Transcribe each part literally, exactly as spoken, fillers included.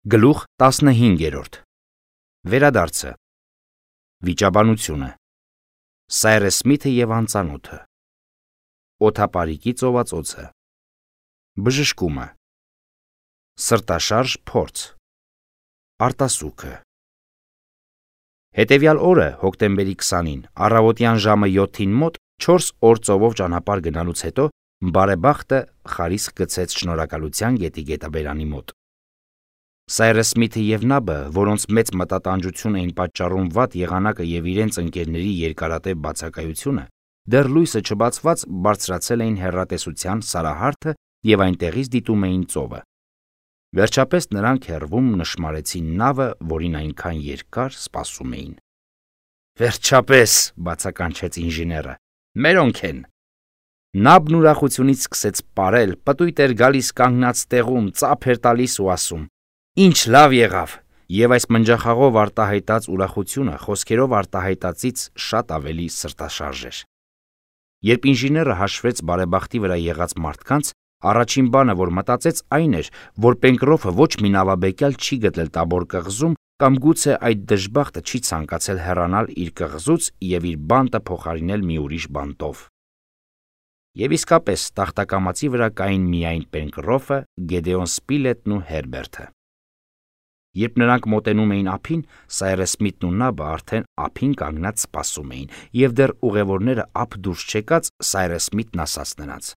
Գլուխ տասնհինգերորդ Վերադարձը Վիճաբանությունը Սայրես Սմիթը և անծանոթը Օդապարիկի ծովածոցը Բժշկումը Սրտաշարժ փորձ Արտասուքը Հետևյալ օրը հոկտեմբերի քսանին առավոտյան ժամը յոթին մոտ չորս օր ծովով ճանապարհ գնալուց հետո բարեբախտը խարիսք գցեց Շնորհակալության գետի գետաբերանի մոտ։ Սայրես Սմիթը և Նաբը, որոնց մեծ մտատանջություն էին պատճառում վատ եղանակը և իրենց ընկերների երկարատև բացակայությունը, դեռ լույսը չբացված բարձրացել էին հեռատեսության սարահարթը և այնտեղից դիտում էին ծովը։ Վերջապես նրանք հեռվում նշմարեցին նավը, որին այնքան երկար սպասում էին։ «Վերջապես», բացականչեց ինժեները, «մերոնք են»։ Նաբն ուրախությունից սկսեց պարել, պտույտ էր գալիս կանգնած տեղում, ծափ էր տալիս ու ասում. «Ինչ լավ եղավ», և այս մնջախաղով արտահայտած ուրախությունը խոսքերով արտահայտածից շատ ավելի սրտաշարժ էր։ Երբ ինժեները հաշվեց բարեբախտի վրա եղած մարդկանց, առաջին բանը, որ մտածեց, այն էր, որ Պենկրոֆը ոչ մի նավաբեկյալ չի գտել Տաբոր կղզում կամ գուցե այդ դժբախտը չի ցանկացել հեռանալ իր կղզուց և իր բանտը փոխարինել մի ուրիշ բանտով։ Եվ իսկապես տախտակամածի վրա կային միայն Պենկրոֆը, Գեդեոն Սպիլետն ու Հերբերտը։ Երբ նրանք մոտենում էին ափին, Սայրես Սմիթն ու Նաբը արդեն ափին կանգնած սպասում էին, և դեռ ուղևորները ափ դուրս չեկած, Սայրես Սմիթն ասաց նրանց.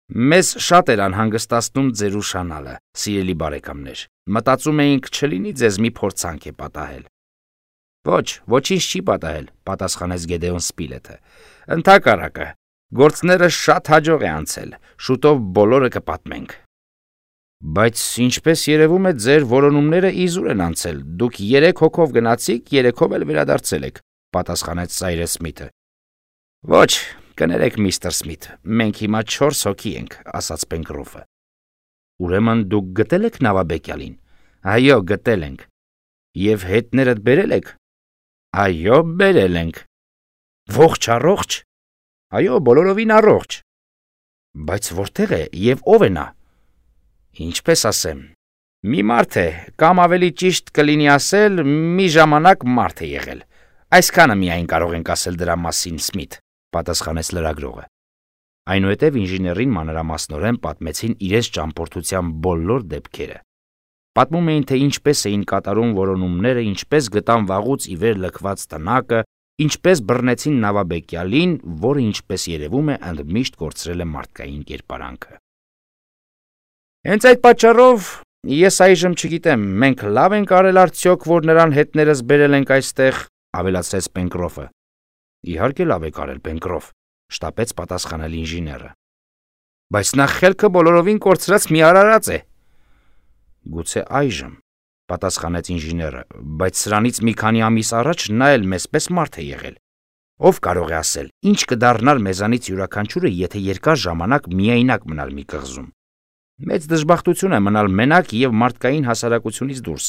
«Մեզ շատ էր անհանգստացնում ձեր ուշանալը, սիրելի բարեկամներ, մտածում էինք չլինի ձեզ մի փորձանք է պատահել»։ «Ոչ, ոչինչ չի պատահել», պատասխանեց Գեդեոն Սպիլետը։ «Ընդհակառակը, գործները շատ հաջող է անցել, շուտով բոլորը կպատմենք»։ «Բայց ինչպես երևում է, ձեր որոնումները իզուր են անցել, դուք երեք հոգով գնացիք, երեքով էլ վերադարձել եք», պատասխանեց Սայրես Սմիթը։ «Ոչ, կներեք, միստր Սմիթ, մենք հիմա չորս հոգի ենք», ասաց Պենկրոֆը։ «Ուրեմն դուք գտել եք նավաբեկյալին»։ «Այո, գտել ենք»։ «Եվ հետներդ բերել եք»։ «Այո, բերել ենք»։ «Ողջ առողջ»։ «Այո, բոլորովին առողջ»։ «Բայց որտեղ է և ով է նա»։ «Ինչպես ասեմ, մի մարդ է, կամ ավելի ճիշտ կլինի ասել, մի ժամանակ մարդ է եղել։ Այսքանը միայն կարող ենք ասել դրա մասին, Սմիթ», պատասխանեց լրագրողը։ Այնուհետև ինժեներին մանրամասնորեն պատմեցին իրենց ճամփորդության բոլոր դեպքերը։ Պատմում էին, թե ինչպես էին կատարում որոնումները, ինչպես գտան վաղուց ի վեր լքված տնակը, ինչպես բռնեցին նավաբեկյալին, որը, ինչպես երևում է, ընդմիշտ կորցրել է մարդկային կերպարանքը։ «Հենց այդ պատճառով ես այժմ չգիտեմ, մենք լավ ենք արել արդյոք, որ նրան հետներս բերել ենք այստեղ», ավելացրեց Պենկրոֆը։ «Իհարկե լավ եք արել, Պենկրոֆ», շտապեց պատասխանել ինժեները։ «Բայց նա խելքը բոլորովին կորցրած մի արարած է»։ «Գուցե այժմ», պատասխանեց ինժեները, «բայց սրանից մի քանի ամիս առաջ նա էլ մեզպես մարդ է եղել։ Ով կարող է ասել, ինչ կդառնար մեզանից յուրաքանչյուրը, եթե երկար ժամանակ միայնակ մնար մի կղզում։ Մեծ դժբախտություն է մնալ մենակ և մարդկային հասարակությունից դուրս։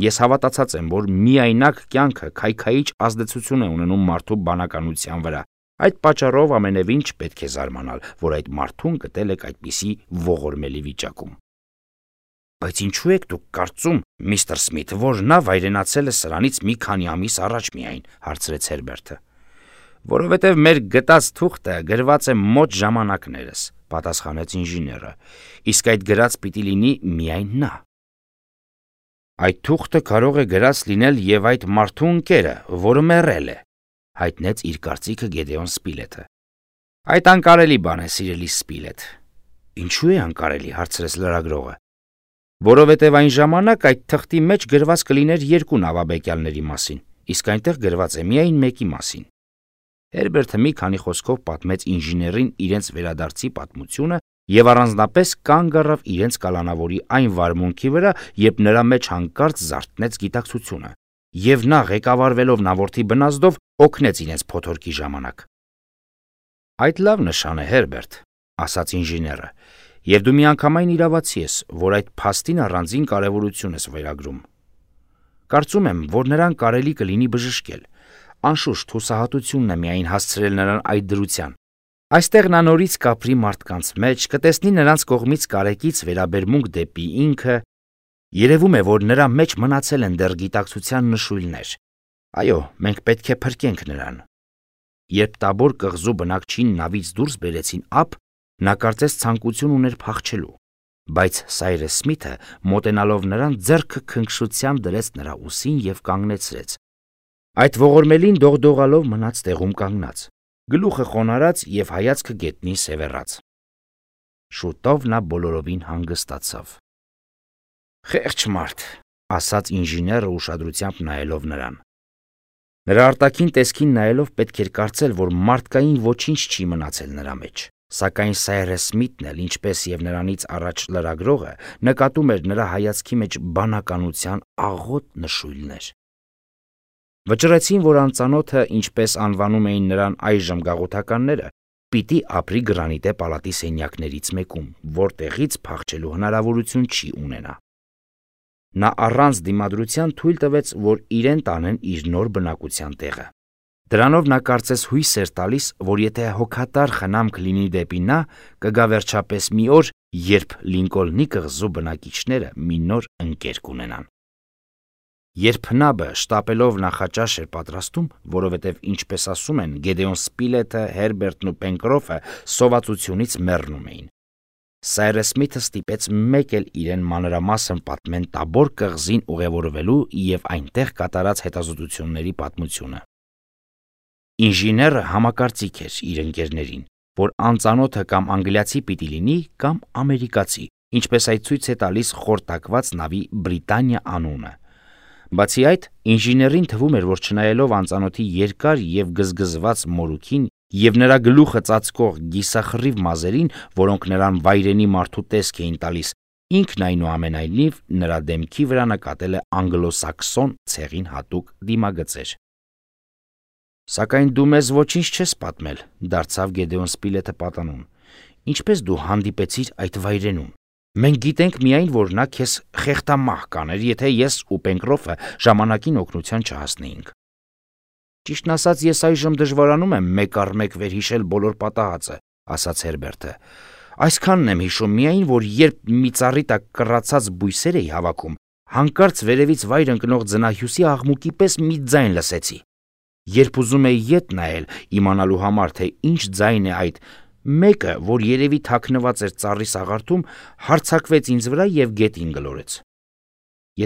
Ես հավատացած եմ, որ միայնակ կյանքը քայքայիչ ազդեցություն է ունենում մարդու բանականության վրա։ Այդ պատճառով ամենևին չպետք է զարմանալ, որ այդ մարդուն գտել եք այդպիսի ողորմելի վիճակում»։ «Բայց ինչու եք դուք կարծում, միստր Սմիթ, որ նա վայրենացել է սրանից մի քանի ամիս առաջ միայն», հարցրեց Հերբերտը։ «Որովհետև մեր գտած թուղթը գրված է մոտ ժամանակներս», պատասխանեց ինժեները, «իսկ այդ գրած պիտի լինի միայն նա»։ «Այդ թուղթը կարող է գրած լինել և այդ մարդու ընկերը, որը մեռել է», հայտնեց իր կարծիքը Գեդեոն Սպիլետը։ «Այդ անկարելի բան է, սիրելի Սպիլետ»։ «Ինչու է անկարելի», հարցրեց լրագրողը։ «Որովհետև այն ժամանակ այդ թղթի մեջ գրված կլիներ երկու նավաբեկյալների մասին, իսկ այնտեղ գրված է միայն մեկի մասին»։ Հերբերտը մի քանի խոսքով պատմեց ինժեներին իրենց վերադարձի պատմությունը և առանձնապես կանգ առավ իրենց կալանավորի այն վարմունքի վրա, երբ նրա մեջ հանկարծ զարթնեց գիտակցությունը, և նա, ղեկավարվելով նավորդի բնազդով, օգնեց իրենց փոթորկի ժամանակ։ «Այդ լավ նշան է, Հերբերտ», ասաց ինժեները, «և դու միանգամայն իրավացի ես, որ այդ փաստին առանձին կարևորություն ես վերագրում։ Կարծում եմ, որ նրան կարելի կլինի բժշկել։ Անշուշտ հուսահատությունն է միայն հասցրել նրան այդ դրության։ Այստեղ նա նորից կապրի մարդկանց մեջ, կտեսնի նրանց կողմից կարեկից վերաբերմունք դեպի ինքը, Երևում է, որ նրա մեջ մնացել են դեռ գիտակցության նշույլներ։ Այո, մենք պետք է փրկենք նրան։ Երբ Տաբոր կղզու բնակչին նավից դուրս բերեցին ափ, նա կարծես ցանկություն ուներ փախչելու, բայց Սայրես Սմիթը, մոտենալով նրան, ձեռքը քնքշությամբ դրեց նրա ուսին եւ կանգնեցրեց։ Այդ ողորմելին դողդողալով մնաց տեղում կանգնած, գլուխը խոնարհած եւ հայացքը գետնին սևեռած։ Շուտով նա բոլորովին հանգստացավ։ Խեղճ մարդ, ասաց ինժեները ուշադրությամբ նայելով նրան։ Նրա արտաքին տեսքին նայելով պետք էր կարծել, որ մարդկային ոչինչ չի մնացել նրա մեջ, սակայն Սայրես Սմիթն էլ, ինչպես եւ նրանից առաջ լրագրողը, նկատում էր նրա հայացքի մեջ բանականության աղոտ նշույլներ։ Վճռեցին, որ անծանոթը, ինչպես անվանում էին նրան այժմ գաղութականները, պիտի ապրի Գրանիտե պալատի սենյակներից մեկում, որտեղից փախչելու հնարավորություն չի ունենա։ Նա առանց դիմադրության թույլ տվեց, որ իրեն տանեն իր նոր բնակության տեղը։ Դրանով նա կարծես հույս էր տալիս, որ եթե հոգատար խնամք լինի դեպի նա, կգա վերջապես մի օր, երբ Լինկոլնի կղզու բնակիչները մի նոր ընկեր կունենան։ Երբ Հնաբը շտապելով նախաճաշ էր պատրաստում, որովհետև, ինչպես ասում են, Գեդեոն Սպիլեթը, Հերբերտն ու Պենկրոֆը սովածությունից մեռնում էին, Սայրես Սմիթը ստիպեց մեկ էլ իրեն մանրամասն պատմեն Տաբոր կղզին ուղևորվելու եւ այնտեղ կատարած հետազոտությունների պատմությունը։ Ինժեները համակարծիք էր իր ընկերներին, որ անծանոթը կամ անգլիացի պիտի լինի, կամ ամերիկացի, ինչպես այդ ցույց է տալիս խորտակված նավի Բրիտանիա անունը։ Բացի այդ, ինժեներին թվում էր, որ չնայելով անծանոթի երկար եւ գզգզված մորուքին եւ նրա գլուխը ծածկող գիսախռիվ մազերին, որոնք նրան վայրենի մարդու տեսք էին տալիս, ինքն այնուամենայնիվ նրա դեմքի վրա նկատել է անգլոսաքսոն ցեղին հատուկ դիմագծեր։ Սակայն դու մեզ ոչինչ չես պատմել, դարձավ Գեդեոն Սպիլեթը պատանուն։ Ինչպես դու հանդիպեցիր այդ վայրենուն։ Մենք գիտենք միայն, որ նա քեզ խեղդամահ կաներ, եթե ես ու Պենկրոֆը ժամանակին օգնության չհասնեինք։ Ճիշտն ասած, ես այժմ դժվարանում եմ մեկ առ մեկ վերհիշել բոլոր պատահածը, ասաց Հերբերտը։ Այսքանն եմ հիշում միայն, որ երբ մի ծառի տակ կռացած բույսեր էի հավաքում, հանկարծ վերևից վայր ընկնող ձնահյուսի աղմուկի պես մի ձայն լսեցի։ Երբ ուզում էի ետ նայել, իմանալու համար, թե ինչ ձայն է այդ, մեկը, որ երևի թաքնված էր ծառի սաղարթում, հարձակվեց ինձ վրա եւ գետին գլորեց։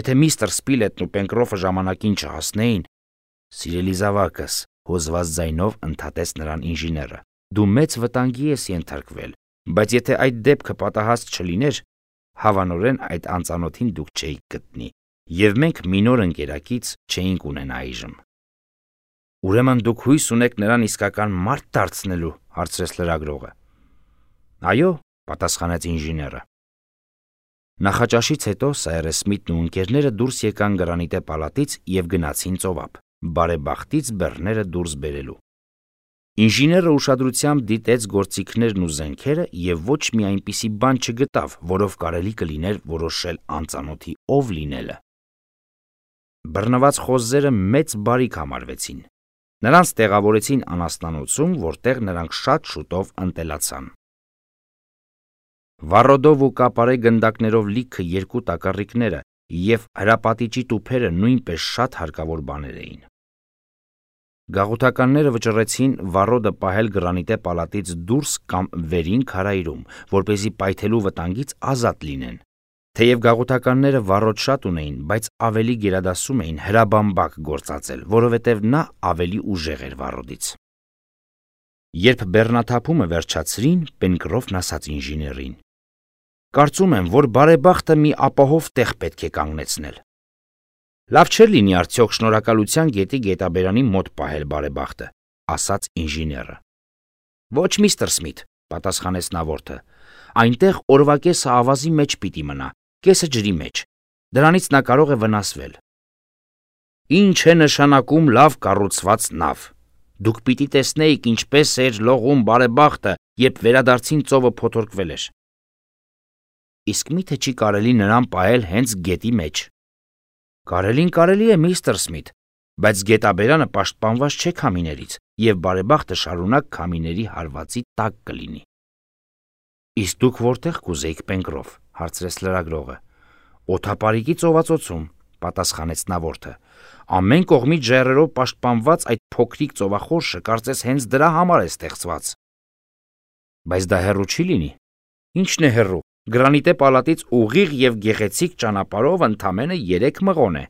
Եթե միստր Սպիլետն ու Պենկրոֆը ժամանակին չհասնեին, սիրելի զավակս, հոզված ձայնով ընդհատեց նրան ինժեները, դու մեծ վտանգի ես ենթարկվել, բայց եթե այդ դեպքը պատահած չլիներ, հավանորեն այդ անծանոթին դուք չէիք գտնի, եւ մենք մի նոր ընկերակից չէինք ունենա այժմ։ Ուրեմն դուք հույս ունեք նրան իսկական մարդ դարձնելու, հարցրեց լրագրողը։ Այո, պատասխանեց ինժեները։ Նախաճաշից հետո Սայրես Սմիթն ու ընկերները դուրս եկան Գրանիտե պալատից եւ գնացին ծովափ, բարեբախտից բեռները դուրս բերելու։ Ինժեները ուշադրությամբ դիտեց գործիքներն ու զենքերը եւ ոչ մի այնպիսի բան չգտավ, որով կարելի կլիներ որոշել անծանոթի ով լինելը։ Բռնված խոզերը մեծ բարիք համարվեցին։ Նրանց տեղավորեցին անասնանոցում, որտեղ նրանք շատ շուտով ընտելացան։ Վառոդով ու կապարե գնդակներով լիքը երկու տակառիկները եւ հրապատիճի տուփերը նույնպես շատ հարկավոր բաներ էին։ Գաղութականները վճռեցին վառոդը պահել Գրանիտե պալատից դուրս կամ վերին քարայրում, որպեսզի պայթելու վտանգից ազատ լինեն։ Թեև գաղութականները վառոդ շատ ունեին, բայց ավելի գերադասում էին հրաբամբակ գործածել, որովհետև նա ավելի ուժեղ էր վառոդից։ Երբ բեռնաթափումը վերջացրին, Պենկրոֆն ասաց ինժեներին. Կարծում եմ, որ բարեբախտը մի ապահով տեղ պետք է կանգնեցնել։ Լավ չէր լինի արդյոք շնորհակալության գետի գետաբերանի մոտ պահել բարեբախտը, ասաց ինժեները։ Ոչ, միստր Սմիթ, պատասխանեց նավորդը, այնտեղ օրվա կեսը ավազի մեջ պիտի մնա, կեսը ջրի մեջ, դրանից նա կարող է վնասվել։ Ինչ է նշանակում լավ կառուցված նավ։ Դուք պիտի տեսնեիք, ինչպես էր լողում բարեբախտը, երբ վերադարձին ծովը փոթորկվել էր։ Իսկ միթե չի կարելի նրան պահել հենց գետի մեջ։ Կարելին կարելի է, միստր Սմիթ, բայց գետաբերանը պաշտպանված չէ քամիներից, եւ բարեբախտը շարունակ քամիների հարվածի տակ կլինի։ Իսկ դուք որտեղ կուզեիք, Պենկրոֆ, հարցրեց լրագրողը։ Օդապարիկի ծովածոցում, պատասխանեց նավորդը։ Ամեն կողմից ժայռերով պաշտպանված այդ փոքրիկ ծովախորշը կարծես հենց դրա համար է ստեղծված։ Բայց դա հեռու չի լինի։ Ինչն է հեռու։ Գրանիտե պալատից ուղիղ եւ գեղեցիկ ճանապարհով ընդամենը երեք մղոն է։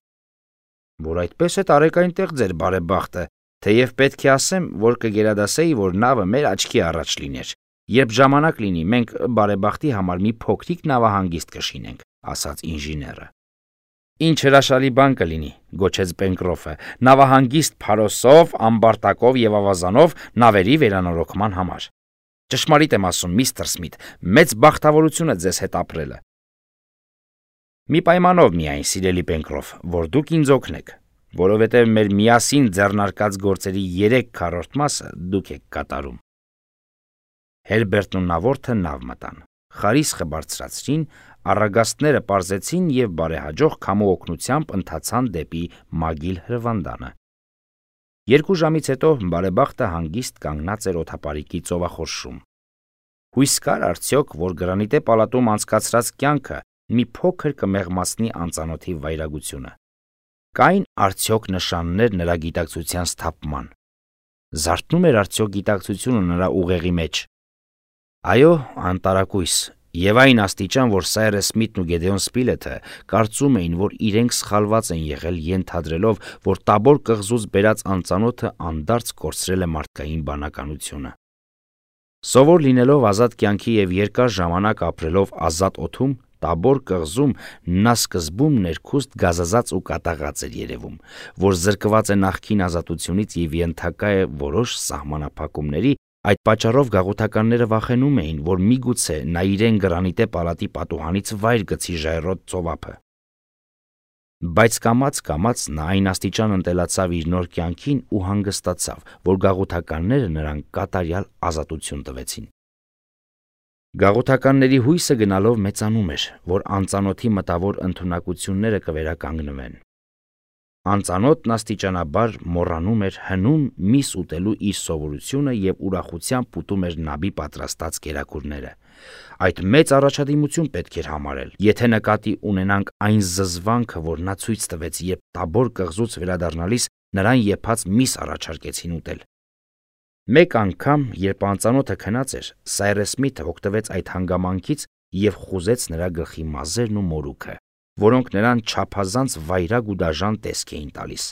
Որ այդպես է տարեկային տեղ ձեր բարեբախտը, թեև պետք է ասեմ, որ կգերադասեի, որ նավը մեր աչքի առաջ լիներ։ Երբ ժամանակ լինի, մենք բարեբախտի համար մի փոքրիկ նավահանգիստ կշինենք, ասաց ինժեները։ Ինչ հրաշալի բան կլինի, գոչեց Պենկրոֆը, նավահանգիստ փարոսով, ամբարտակով եւ ավազանով նավերի վերանորոգման համար։ Ճշմարիտ եմ ասում, միստր Սմիթ, մեծ բախտավորություն է ձեզ հետ ապրելը։ Մի պայմանով միայն, սիրելի Պենկրոֆ, որ դուք ինձ օգնեք, որովհետև մեր միասին ձեռնարկած գործերի երեք քառորդ մասը դուք եք կատարում։ Հերբերտն ու նավորդը նավ մտան, խարիսխը բարձրացրին, առագաստները պարզեցին եւ բարեհաջող քամու օգնությամբ ընթացան դեպի Մագիլ հրվանդանը։ Երկու ժամից հետո բարեբախտը հանգիստ կանգնած էր օդապարիկի ծովախորշում։ Հույս կար արդյոք, որ գրանիտե պալատում անցկացրած կյանքը մի փոքր կմեղմացնի անծանոթի վայրագությունը։ Կային արդյոք նշաններ նրա գիտակցության սթափման։ Զարթնում էր արդյոք գիտակցությունը նրա ուղեղի մեջ։ Այո, անտարակույս, եւ այն աստիճան, որ Սայրես Սմիթն ու Գեդեոն Սպիլեթը կարծում էին, որ իրենք սխալված են եղել ենթադրելով, որ Տաբոր կղզուց բերած անծանոթը անդարձ կորցրել է մարդկային բանականությունը։ Սովոր լինելով ազատ կյանքի եւ երկար ժամանակ ապրելով ազատ օդում, Տաբոր կղզում նա սկզբում ներքուստ գազազած ու կատաղած էր երևում, որ զրկված է նախկին ազատությունից եւ ենթակա է որոշ սահմանափակումների։ Այդ պատճառով գաղութականները վախենում էին, որ միգուցե նա իրեն գրանիտե պալատի պատուհանից վայր գցի ժայռոտ ծովափը։ Բայց կամաց-կամաց նա այն աստիճան ընտելացավ իր նոր կյանքին ու հանգստացավ, որ գաղութականները նրան կատարյալ ազատություն տվեցին։ Գաղութականների հույսը գնալով մեծանում էր, որ անծանոթի մտավոր ընդունակությունները կվերականգնվեն։ Անծանոթն աստիճանաբար մոռանում էր հնում միս ուտելու իր սովորությունը եւ ուրախությամբ ուտում էր նաբի պատրաստած կերակուրները։ Այդ մեծ առաջադիմություն պետք էր համարել, եթե նկատի ունենանք այն զզվանքը, որ նա ցույց տվեց, երբ Տաբոր կղզուց վերադառնալիս նրան եփած միս առաջարկեցին ուտել։ Մեկ անգամ, երբ անծանոթը քնած էր, Սայրես Սմիթը օգտվեց այդ հանգամանքից եւ խուզեց նրա գլխի մազերն ու մորուքը, որոնք նրան չափազանց վայրագ ու դաժան տեսք էին տալիս։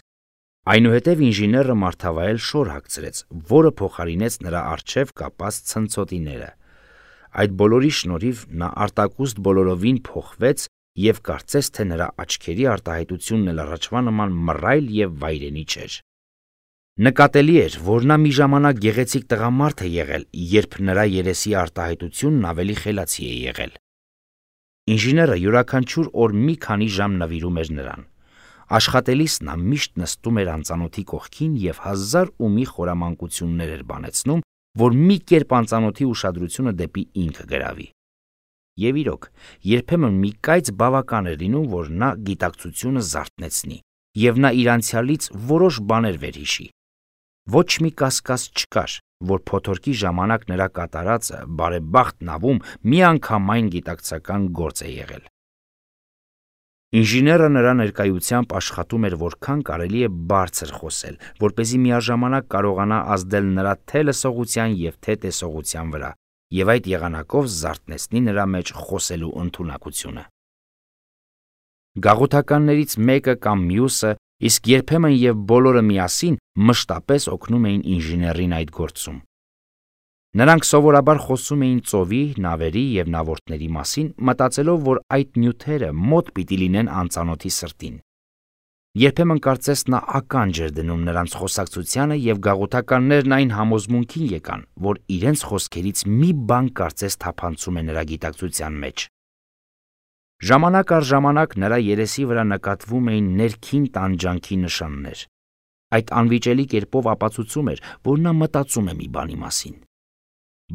Այնուհետև ինժեները մարդավայել շոր հագցրեց, որը փոխարինեց նրա առջև կապած ցնցոտիները։ Այդ բոլորի շնորհիվ նա արտակուստ բոլորովին փոխվեց եւ կարծես թե նրա աչքերի արտահայտությունն էլ առաջվա նման մռայլ եւ վայրենի չէր։ Նկատելի էր, որ նա մի ժամանակ գեղեցիկ տղամարդ է եղել, երբ նրա երեսի արտահայտությունն ավելի խելացի է եղել։ Ինժեները յուրաքանչյուր օր մի քանի ժամ նվիրում էր նրան։ Աշխատելիս նա միշտ նստում էր անծանոթի կողքին եւ հազար ու մի խորամանկություններ էր բանեցնում, որ մի կերպ անծանոթի ուշադրությունը դեպի ինքը գրավի։ Եվ իրոք, երբեմն մի կայծ բավական էր լինում, որ նա գիտակցությունը զարթնեցնի, եւ նա իր անցյալից որոշ բաներ վերհիշի։ Ոչ մի կասկած չկար, որ փոթորկի ժամանակ նրա կատարածը բարեբախտ նավում միանգամայն գիտակցական գործ է եղել։ Ինժեները նրա ներկայությամբ աշխատում էր որքան կարելի է բարձր խոսել, որպեսզի միաժամանակ կարողանա ազդել նրա թե լսողության եւ թե տեսողության վրա, եւ այդ եղանակով զարթնեցնի նրա մեջ խոսելու ընդունակությունը։ Գաղութականներից մեկը կամ մյուսը, իսկ երբեմն եւ բոլորը միասին մշտապես օգնում էին ինժեներին այդ գործում։ Նրանք սովորաբար խոսում էին ծովի, նավերի եւ նավորդների մասին, մտածելով, որ այդ նյութերը մոտ պիտի լինեն անծանոթի սրտին։ Երբեմն կարծես նա ականջ էր դնում նրանց խոսակցությանը եւ գաղութականներն այն համոզմունքին եկան, որ իրենց խոսքերից մի բան կարծես թափանցում է նրա գիտակցության մեջ։ Ժամանակ առ ժամանակ նրա երեսի վրա նկատվում էին ներքին տանջանքի նշաններ։ Այդ անվիճելի կերպով ապացուցում էր, որ նա մտածում է մի բանի մասին։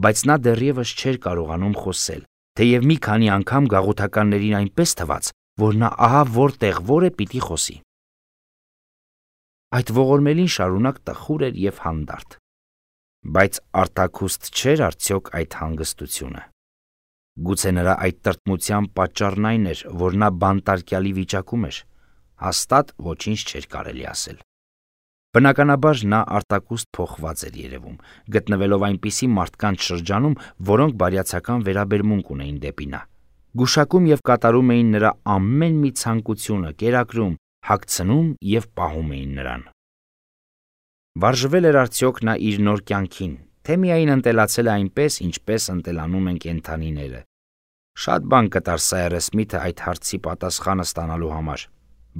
Բայց նա դեռևս չէր կարողանում խոսել, թեև մի քանի անգամ գաղութականներին այնպես թվաց, որ նա ահա որտեղ որ է պիտի խոսի։ Այդ ողորմելին շարունակ տխուր էր եւ հանդարտ։ Բայց արտաքուստ չէր արդյոք այդ հանգստությունը։ Գուցե նրա այդ տրտմության պատճառն այն էր, որ նա բանտարկյալի վիճակում էր, հաստատ ոչինչ չէր կարելի ասել։ Բնականաբար նա արտակուստ փոխված էր երևում, գտնվելով այնպիսի մարդկանց շրջանում, որոնք բարյացակամ վերաբերմունք ունեին դեպի նա, գուշակում եւ կատարում էին նրա ամեն մի ցանկությունը, կերակրում, հագցնում եւ պահում էին նրան։ Վարժվել էր արդյոք նա իր նոր կյանքին, թե միայն ընտելացել է այնպես, ինչպես ընտելանում են կենդանիները։ Շատ բան կտար Սայր Սմիթը այդ հարցի պատասխանը ստանալու համար,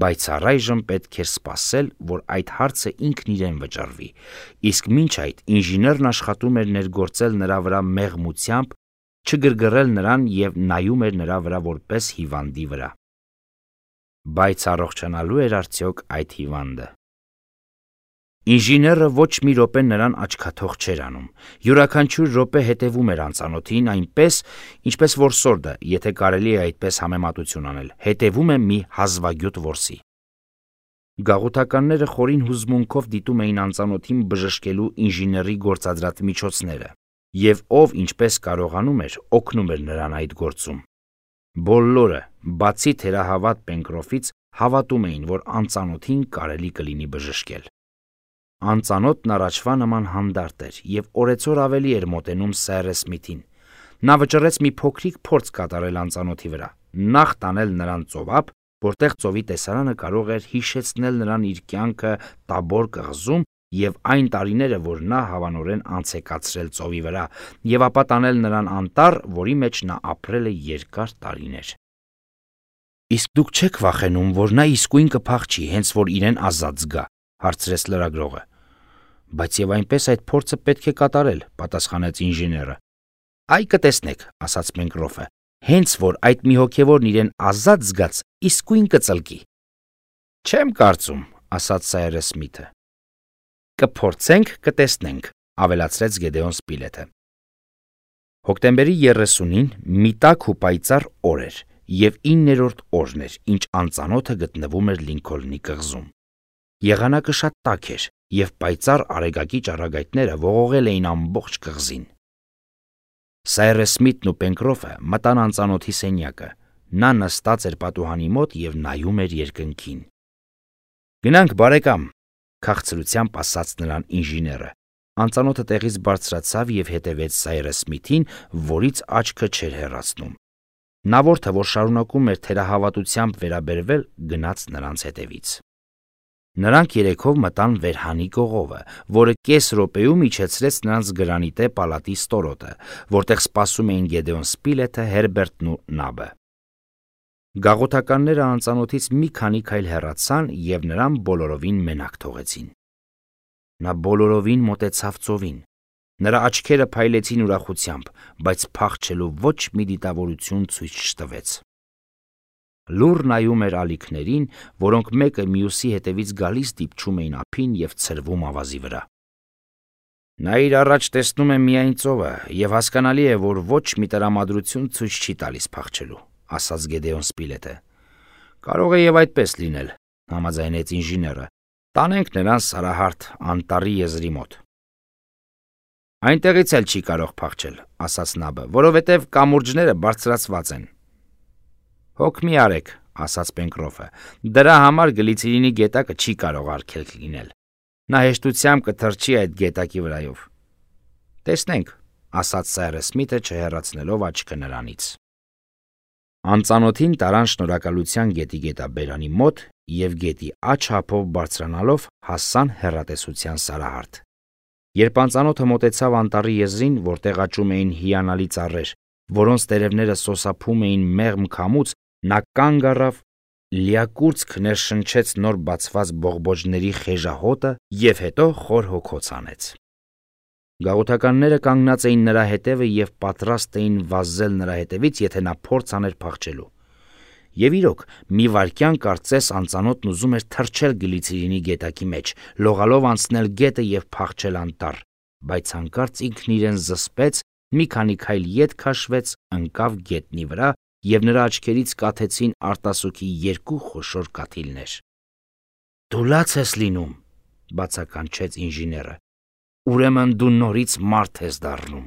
բայց առայժմ պետք էր սպասել, որ այդ հարցը ինքն իրեն վճռվի, իսկ մինչ այդ ինժեներն աշխատում էր ներգործել նրա վրա մեղմությամբ, չգրգռել նրան եւ նայում էր նրա վրա որպես հիվանդի վրա։ Բայց առողջանալու էր արդյոք այդ հիվանդը։ Ինժեները ոչ մի րոպե նրան աչքաթող չէր անում, յուրաքանչյուր րոպե հետևում էր անծանոթին այնպես, ինչպես որսորդը, եթե կարելի է այդպես համեմատություն անել, հետևում է մի հազվագյուտ որսի։ Գաղութականները խորին հուզմունքով դիտում էին անծանոթին բժշկելու ինժեների գործադրած միջոցները, եւ ով ինչպես կարողանում էր, օգնում էր նրան այդ գործում։ Բոլորը, բացի թերահավատ Պենկրոֆից, հավատում էին, որ անծանոթին կարելի կլինի բժշկել։ Անծանոթն առաջվա նման հանդարտ էր եւ օրեցօր ավելի էր մոտենում Սայր Սմիթին։ Նա վճռեց մի փոքրիկ փորձ կատարել անծանոթի վրա, նախ տանել նրան ծովափ, որտեղ ծովի տեսարանը կարող էր հիշեցնել նրան իր կյանքը Տաբոր կղզում եւ այն տարիները, որ նա հավանորեն անցեկացրել ծովի վրա, եւ ապա տանել նրան անտառ, որի մեջ նա ապրել է երկար տարիներ։ Իսկ դուք չեք վախենում, որ նա իսկույն կփախչի, հենց որ իրեն ազատ զգա, հարցրեց լրագրողը։ Բայց եւ այնպես այդ փորձը պետք է կատարել, պատասխանեց ինժեները։ Այ կտեսնեք, ասաց Պենկրոֆը, հենց որ այդ մի հոգևորն իրեն ազատ զգաց, իսկույն կծլկի։ Չեմ կարծում, ասաց Սայր Սմիթը։ Կփորձենք, կտեսնենք, ավելացրեց Գեդեոն Սպիլեթը։ Հոկտեմբերի երեսունին մի տաք ու պայծառ օր էր եւ իններորդ օրն էր, ինչ անծանոթը գտնվում էր Լինքոլնի կղզում։ Եղանակը շատ տաք էր եւ պայծառ արեգակի ճառագայթները ողողել էին ամբողջ կղզին։ Սայր Սմիթն ու Պենկրոֆը մտան անծանոթի սենյակը։ Նա նստած էր պատուհանի մոտ եւ նայում էր երկնքին։ Գնանք, բարեկամ, քաղցրությամբ ասաց նրան ինժեները։ Անծանոթը տեղից բարձրացավ եւ հետևեց Սայր Սմիթին, որից աչքը չէր հեռացնում։ Նավորդը, որ շարունակում էր թերահավատությամբ վերաբերվել, գնաց նրանց հետևից։ Նրանք երեքով մտան Վերհանի կողովը, որը կես րոպեում իջեցրեց նրանց գրանիտե պալատի ստորոտը, որտեղ սպասում էին Գեդեոն Սպիլեթը, Հերբերտն ու Նաբը։ Գաղութականները անծանոթից մի քանի քայլ հեռացան եւ նրան բոլորովին մենակ թողեցին։ Նա բոլորովին մոտեցավ ծովին։ Նրա աչքերը փայլեցին ուրախությամբ, բայց փախչելու ոչ մի դիտավորություն ցույց չտվեց։ Լուռ նայում էր ալիքներին, որոնք մեկը մյուսի հետևից գալիս դիպչում էին ափին եւ ցրվում ավազի վրա։ Նա իր առաջ տեսնում է միայն ծովը եւ հասկանալի է, որ ոչ մի տրամադրություն ցույց չի տալիս փախչելու, ասաց Գեդեոն Սպիլեթը։ Կարող է եւ այդպես լինել, համաձայնեց ինժեները։ Տանենք նրան Սարահարթ անտառի եզրի մոտ։ Այնտեղից էլ չի կարող փախչել, ասաց Նաբը, որովհետեւ կամուրջները բարձրացված են։ Հոգ մի արեք, ասաց Պենկրոֆը, դրա համար գլիցերինի գետակը չի կարող արգելք լինել։ Նա հեշտությամբ կթռչի այդ գետակի վրայով։ Տեսնենք, ասաց Սայր Սմիթը չհեռացնելով աչքը նրանից։ Անծանոթին տարան շնորհակալության գետի գետաբերանի մոտ եւ գետի աջ հապով բարձրանալով հասան հեռատեսության Սարահարթ։ Երբ անծանոթը մոտեցավ անտառի եզրին, որտեղ աճում էին հիանալի ծառեր, որոնց տերևները սոսափում էին մեղմ քամուց, նա կանգ առավ, լիակուրծք ներշնչեց նոր բացված բողբոջների խեժահոտը եւ հետո խոր հոգոց անեց։ Գաղութականները կանգնած էին նրա հետևը եւ պատրաստ էին վազել նրա հետևից, եթե նա փորձ աներ փախչելու։ Եվ իրոք, մի վայրկյան կարծես անծանոթն ուզում էր թռչել գլիցերինի գետակի մեջ, լողալով անցնել գետը եւ փախչել անտառ, բայց հանկարծ ինքն իրեն զսպեց, մի քանի քայլ ետ քաշվեց, ընկավ գետնի վրա եւ նրա աչքերից կաթեցին արտասուքի երկու խոշոր կաթիլներ։ Դու լաց ես լինում, բացականչեց ինժեները։ Ուրեմն դու նորից մարդ ես դառնում։